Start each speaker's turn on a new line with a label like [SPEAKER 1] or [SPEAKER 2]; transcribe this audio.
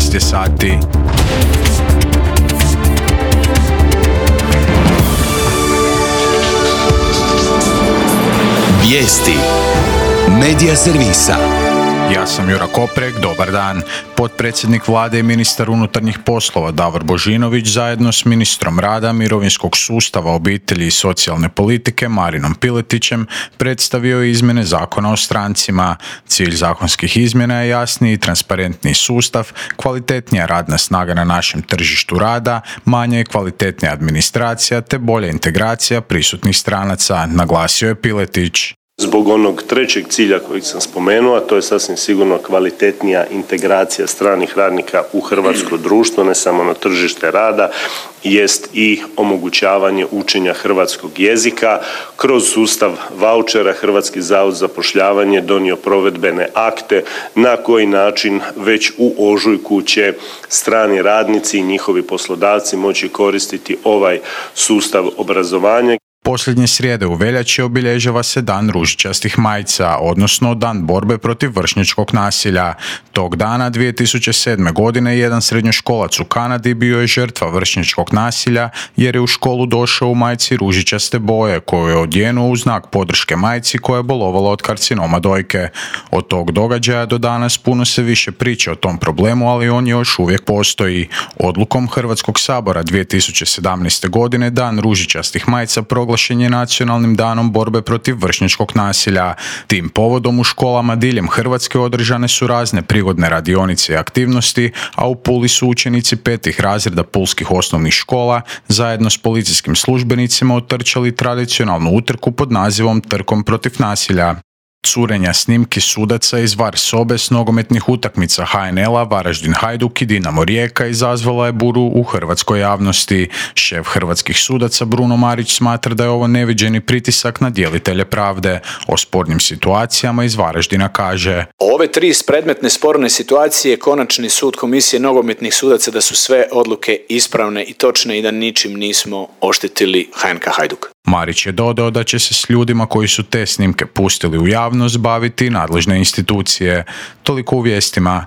[SPEAKER 1] 13 je sati.
[SPEAKER 2] Vijesti Medija servisa.
[SPEAKER 1] Ja sam Jura Koprek, dobar dan. Potpredsjednik vlade i ministar unutarnjih poslova Davor Božinović zajedno s ministrom rada, mirovinskog sustava, obitelji i socijalne politike Marinom Piletićem predstavio je izmjene Zakona o strancima. Cilj zakonskih izmjena je jasniji i transparentniji sustav, kvalitetnija radna snaga na našem tržištu rada, manja i kvalitetnija administracija te bolja integracija prisutnih stranaca, naglasio je Piletić.
[SPEAKER 3] Zbog onog trećeg cilja kojeg sam spomenuo, a to je sasvim sigurno kvalitetnija integracija stranih radnika u hrvatsko društvo, ne samo na tržište rada, jest i omogućavanje učenja hrvatskog jezika. Kroz sustav vaučera Hrvatski zavod za zapošljavanje donio provedbene akte na koji način već u ožujku će strani radnici i njihovi poslodavci moći koristiti ovaj sustav obrazovanja.
[SPEAKER 1] Posljednje srijede u veljači obilježava se Dan ružičastih majica, odnosno Dan borbe protiv vršnjačkog nasilja. Tog dana 2007. godine jedan srednjoškolac u Kanadi bio je žrtva vršnjačkog nasilja jer je u školu došao u majici ružičaste boje koju je odjenuo u znak podrške majci koja je bolovala od karcinoma dojke. Od tog događaja do danas puno se više priča o tom problemu, ali on još uvijek postoji. Odlukom Hrvatskog sabora 2017. godine Dan ružičastih majica proglašen je Nacionalnim danom borbe protiv vršnjačkog nasilja. Tim povodom u školama diljem Hrvatske održane su razne prigodne radionice i aktivnosti, a u Puli su učenici 5. razreda pulskih osnovnih škola zajedno s policijskim službenicima otrčali tradicionalnu utrku pod nazivom Trkom protiv nasilja. Curenja snimki sudaca iz VAR sobe s nogometnih utakmica HNL-a, Varaždin Hajduk i Dinamo Rijeka izazvala je buru u hrvatskoj javnosti. Šef hrvatskih sudaca Bruno Marić smatra da je ovo neviđeni pritisak na djelitelje pravde. O spornim situacijama iz Varaždina kaže:
[SPEAKER 4] Ove tri predmetne sporne situacije konačni sud komisije nogometnih sudaca da su sve odluke ispravne i točne i da ničim nismo oštetili HNK Hajduk.
[SPEAKER 1] Marić je dodao da će se s ljudima koji su te snimke pustili u javnost baviti nadležne institucije. Toliko u vijestima.